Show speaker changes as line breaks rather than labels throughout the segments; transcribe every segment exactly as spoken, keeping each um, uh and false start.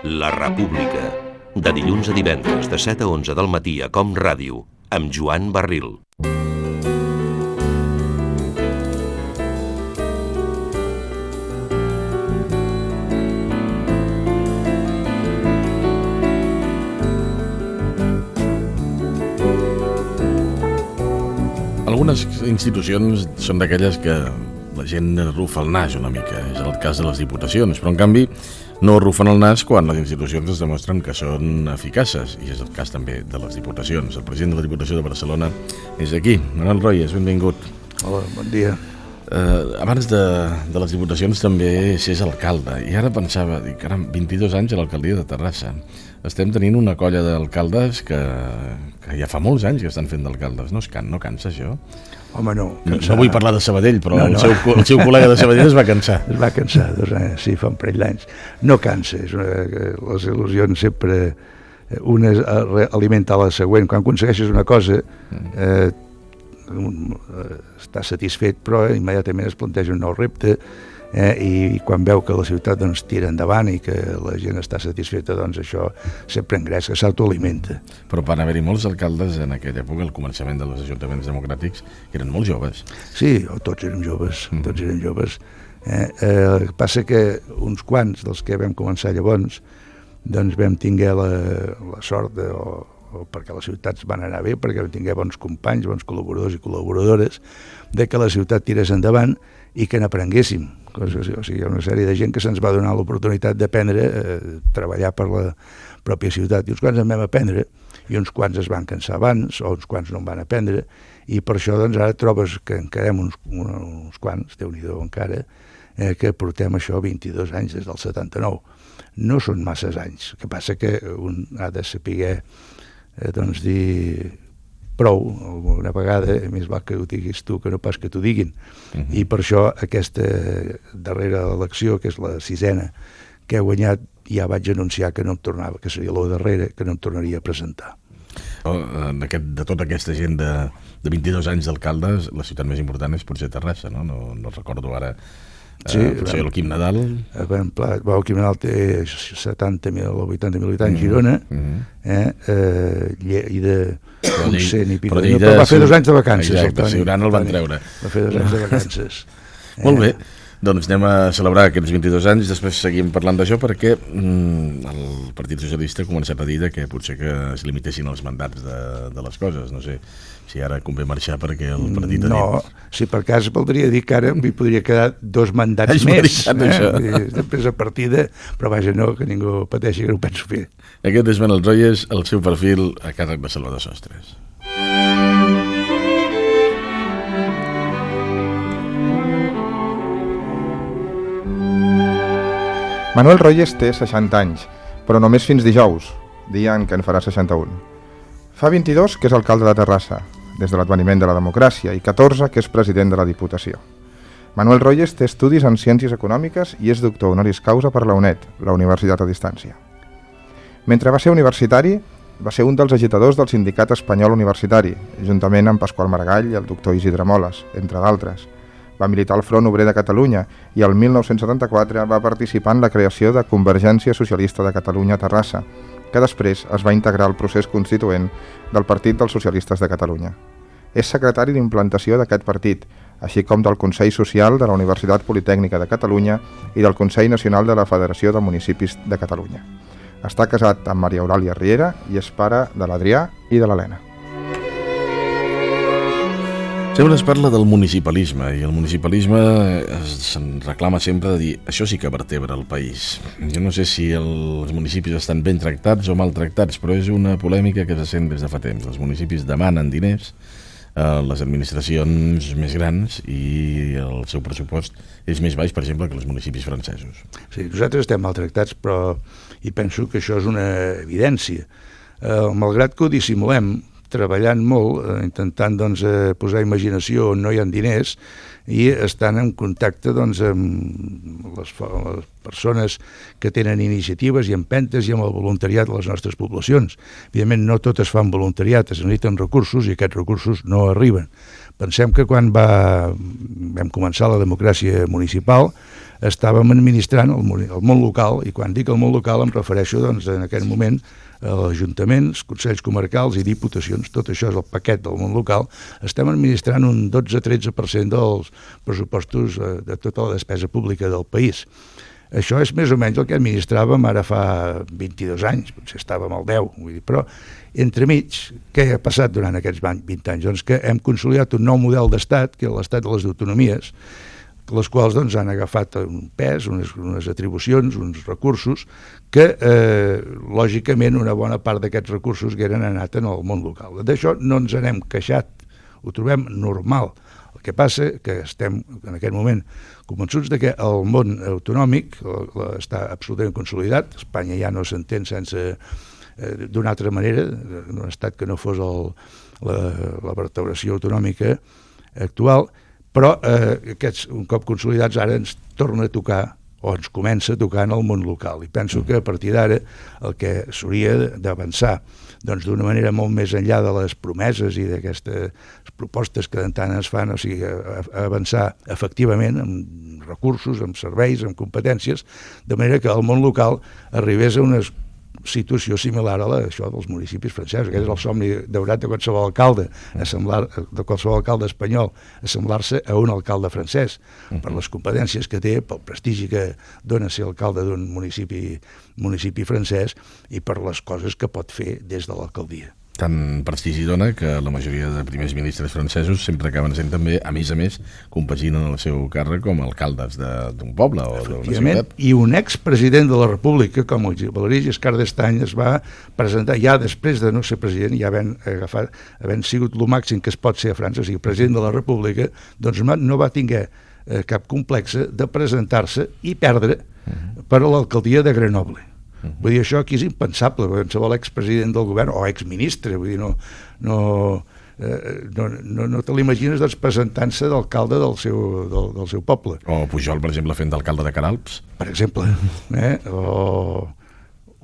La República, de dilluns a divendres de set a onze del matí a Com Ràdio, amb Joan Barril.
Algunes institucions són d'aquelles que la gent rufa el nas una mica, és el cas de les diputacions, però en canvi no rufen el nas quan les institucions es demostren que són eficaces, i és el cas també de les diputacions. El president de la Diputació de Barcelona és aquí. Manuel Royes, benvingut.
Hola, bon dia.
Eh, abans de, de les diputacions també s'és alcalde, i ara pensava, dic, caram, vint-i-dos anys a l'alcaldia de Terrassa. Estem tenint una colla d'alcaldes que, que ja fa molts anys que estan fent d'alcaldes. No, es can, no cansa això?
Home, no.
No, no vull parlar de Sabadell, però
no, no.
El, seu, el seu col·lega de Sabadell es va cansar.
Es va cansar, dos anys, sí, fa un parell d'anys. No cansa, és una, les il·lusions sempre... Una alimenta la següent. Quan aconsegueixes una cosa, eh, està satisfet, però immediatament es planteja un nou repte, eh, i quan veu que la ciutat doncs, tira endavant i que la gent està satisfeta, doncs això sempre engresca, que s'autoalimenta.
Però van haver-hi molts alcaldes en aquella època, al començament dels ajuntaments democràtics, que eren molt joves.
Sí, tots érem joves, mm. tots érem joves. Eh, eh, passa que uns quants dels que vam començar llavors, doncs vam tinguer la, la sort de... O, o perquè les ciutats van anar bé, perquè vam tinguer bons companys, bons col·laboradors i col·laboradores, de que la ciutat tirés endavant i que n'aprenguéssim. O sigui, hi ha una sèrie de gent que se'ns va donar l'oportunitat d'aprendre, eh, treballar per la pròpia ciutat, i uns quants en vam aprendre, i uns quants es van cansar abans, o uns quants no en van aprendre, i per això doncs, ara trobes que encarem uns, uns quants, Déu-n'hi-do encara, eh, que portem això vint-i-dos anys des del setanta-nou. No són masses anys, el que passa que un ha de saber eh, doncs dir prou, alguna vegada, més val que ho diguis tu que no pas que t'ho diguin. Uh-huh. I per això aquesta darrera elecció, que és la sisena que he guanyat, ja vaig anunciar que no em tornava, que seria la darrera, que no em tornaria a presentar.
De, de tota aquesta gent de, de vint-i-dos anys d'alcaldes, la ciutat més important és potser Terrassa, no? No, no recordo ara. Sí, uh, potser el Quim Nadal.
Ben, pla, el Quim Nadal té setanta mil o vuitanta mil habitants, Girona, mm-hmm. eh, eh, i de uns cent i pico. Però, però va fer dos anys de vacances.
Exacte, el Siurana el van treure.
Va fer dos anys de vacances.
eh. Molt bé, doncs anem a celebrar aquests vint-i-dos anys, després seguim parlant d'això, perquè mm, el Partit Socialista ha començat a dir que potser que es limitessin els mandats de, de les coses. No sé si ara convé marxar perquè el partit ha
no, dit... No, si per cas voldria dir que ara m'hi podria quedar dos mandats
Has
més.
Eh?
Després a partida, però vaja, no, que ningú pateixi, que no ho penso fer.
Aquest és Manuel Royes, el seu perfil a càrrec de Salvador Sostres.
Manuel Royes té seixanta anys, però només fins dijous, dia en què en farà seixanta-un. Fa vint-i-dos que és alcalde de Terrassa, des de l'adveniment de la democràcia, i catorze que és president de la Diputació. Manuel Royes té estudis en Ciències Econòmiques i és doctor honoris causa per la U N E D, la Universitat a Distància. Mentre va ser universitari, va ser un dels agitadors del Sindicat Espanyol Universitari, juntament amb Pasqual Maragall i el doctor Isidre Moles, entre d'altres. Va militar al Front Obrer de Catalunya i el mil nou-cents setanta-quatre va participar en la creació de Convergència Socialista de Catalunya a Terrassa, que després es va integrar al procés constituent del Partit dels Socialistes de Catalunya. És secretari d'implantació d'aquest partit, així com del Consell Social de la Universitat Politècnica de Catalunya i del Consell Nacional de la Federació de Municipis de Catalunya. Està casat amb Maria Eulàlia Riera i és pare de l'Adrià i de l'Helena.
Sempre es parla del municipalisme, i el municipalisme se'n reclama sempre de dir això sí que vertebra el país. Jo no sé si els municipis estan ben tractats o maltractats, però és una polèmica que se sent des de fa temps. Els municipis demanen diners a les administracions més grans i el seu pressupost és més baix, per exemple, que els municipis francesos.
Sí, nosaltres estem maltractats, però i penso que això és una evidència. Eh, malgrat que ho dissimulem, treballant molt, eh, intentant doncs, eh, posar imaginació on no hi ha diners, i estan en contacte doncs, amb les, les persones que tenen iniciatives i empentes i amb el voluntariat de les nostres poblacions. Evidentment, no tot es fa amb voluntariat, es necessiten recursos i aquests recursos no arriben. Pensem que quan va, vam començar la democràcia municipal estàvem administrant el, el món local, i quan dic el món local em refereixo doncs, en aquell moment a ajuntaments, consells comarcals i diputacions. Tot això és el paquet del món local. Estem administrant un dotze a tretze per cent dels pressupostos de tota la despesa pública del país. Això és més o menys el que administràvem ara fa vint-i-dos anys, potser estàvem al deu, vull dir, però entremig, què ha passat durant aquests vint anys? Doncs que hem consolidat un nou model d'estat, que és l'estat de les autonomies, les quals doncs, han agafat un pes, unes, unes atribucions, uns recursos, que eh, lògicament una bona part d'aquests recursos que eren anat en el món local. D'això no ens n'hem queixat, ho trobem normal. El que passa que estem en aquest moment convençuts de que el món autonòmic està absolutament consolidat. Espanya ja no s'entén sense eh, d'una altra manera, d'un estat que no fos el, la, la vertebració autonòmica actual, però eh, aquests, un cop consolidats, ara ens torna a tocar o ens comença a tocar en el món local. I penso que a partir d'ara el que s'hauria d'avançar doncs d'una manera molt més enllà de les promeses i d'aquestes propostes que de tant es fan, o sigui, a, a avançar efectivament amb recursos, amb serveis, amb competències, de manera que el món local arribés a una situació similar a la, això dels municipis francesos. Aquest és el somni daurat de qualsevol alcalde, assemblar, de qualsevol alcalde espanyol, assemblar-se a un alcalde francès, per les competències que té, pel prestigi que dona ser alcalde d'un municipi, municipi francès i per les coses que pot fer des de l'alcaldia.
Tant prestigi dona que la majoria de primers ministres francesos sempre acaben sent també, a més a més, compaginen el seu càrrec com a alcaldes d'un poble o d'una ciutat.
I un expresident de la República, com el Valéry Giscard d'Estaing, es va presentar ja després de no ser president, ja havent, agafat, havent sigut el màxim que es pot ser a França, o sigui, president de la República, doncs no va tinguer eh, cap complexe de presentar-se i perdre per a l'alcaldia de Grenoble. Vull dir, això aquí és impensable, qualsevol expresident del govern o exministre, vull dir, no, no, eh, no, no, no te l'imagines doncs, presentant-se d'alcalde del, seu, del, del seu poble.
O Pujol, per exemple, fent d'alcalde de Queralbs.
Per exemple, eh? o,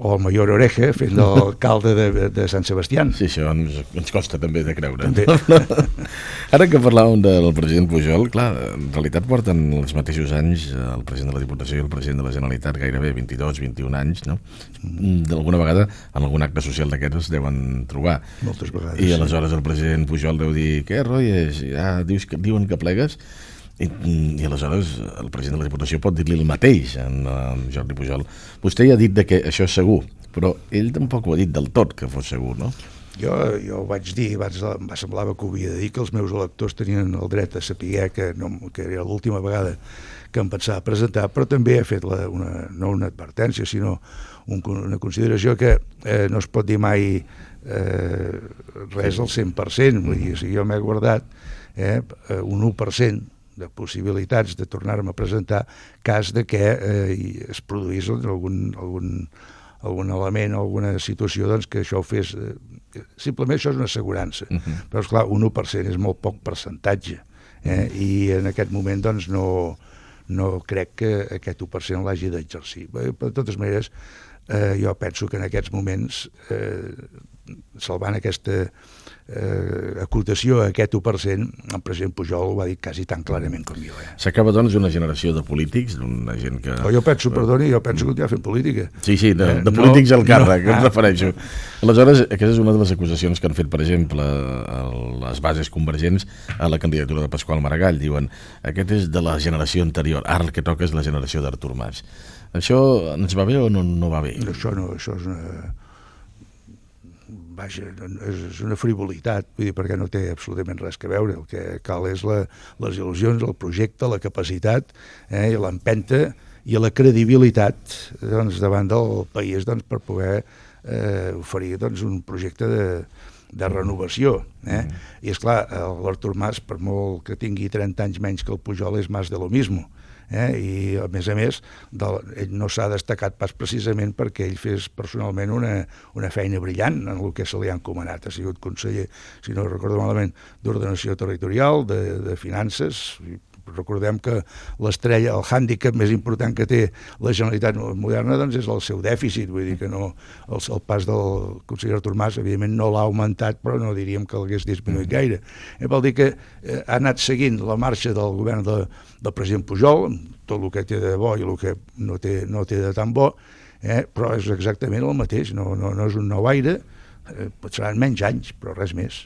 o el Mayor Oreja fent d'alcalde de, de Sant Sebastián.
Sí, això ens, ens costa també de creure.
També.
Ara que parlàvem del president Pujol, clar, en realitat porten els mateixos anys el president de la Diputació i el president de la Generalitat, gairebé vint-i-dos, vint-i-un anys, no? D'alguna vegada en algun acte social d'aquests es deuen trobar.
Moltes vegades.
I aleshores el president Pujol deu dir, què, Royes, ja dius que, diuen que plegues? I, i aleshores el president de la Diputació pot dir-li el mateix en, en Jordi Pujol. Vostè ja ha dit de que això és segur, però ell tampoc ho ha dit del tot que fos segur, no?
Jo, jo ho vaig dir, vaig, em semblava que ho havia de dir, que els meus electors tenien el dret a saber que, no, que era l'última vegada que em pensava presentar, però també he fet la, una, no una advertència, sinó un, una consideració que eh, no es pot dir mai eh, res al cent per cent. Vull dir, o sigui, jo m'he guardat eh, un u per cent de possibilitats de tornar-me a presentar cas de que eh, es produís algun, algun, algun element, alguna situació doncs, que això ho fes... Eh, simplement això és una assegurança. Uh -huh. Però, esclar, un u per cent és molt poc percentatge. Eh? I en aquest moment doncs, no, no crec que aquest u per cent l'hagi d'exercir. De totes maneres, eh, jo penso que en aquests moments, eh, salvant aquesta eh, acotació a aquest u per cent, el president Pujol ho va dir quasi tan clarament com jo. Eh?
S'acaba, doncs, una generació de polítics, d'una gent que...
O jo penso, perdoni, jo penso continuar fent política.
Sí, sí, de,
eh,
de polítics
no,
al càrrec,
no,
em refereixo. Aleshores, aquesta és una de les acusacions que han fet, per exemple, a les bases convergents a la candidatura de Pasqual Maragall. Diuen, aquest és de la generació anterior, ara el que toca és la generació d'Artur Mas. Això ens va bé o no, no va bé?
Això no, això és una... Vaja, és una frivolitat, vull dir, perquè no té absolutament res que veure. El que cal és la, les il·lusions, el projecte, la capacitat, eh, i l'empenta i la credibilitat doncs, davant del país doncs, per poder eh, oferir doncs, un projecte de, de renovació. Eh? Mm. I, esclar, l'Artur Mas, per molt que tingui trenta anys menys que el Pujol, és más de lo mismo. Eh? I, a més a més, de, ell no s'ha destacat pas precisament perquè ell fes personalment una, una feina brillant en el que se li ha encomanat. Ha sigut conseller, si no recordo malament, d'Ordenació Territorial, de, de Finances, recordem que l'estrella, el hàndicap més important que té la Generalitat moderna doncs és el seu dèficit, vull dir que no, el, el pas del conseller Artur Mas evidentment no l'ha augmentat, però no diríem que l'hagués disminuït gaire. Eh, vol dir que eh, ha anat seguint la marxa del govern de, del president Pujol, tot el que té de bo i el que no té, no té de tan bo, eh, però és exactament el mateix, no, no, no és un nou aire, eh, seran menys anys, però res més.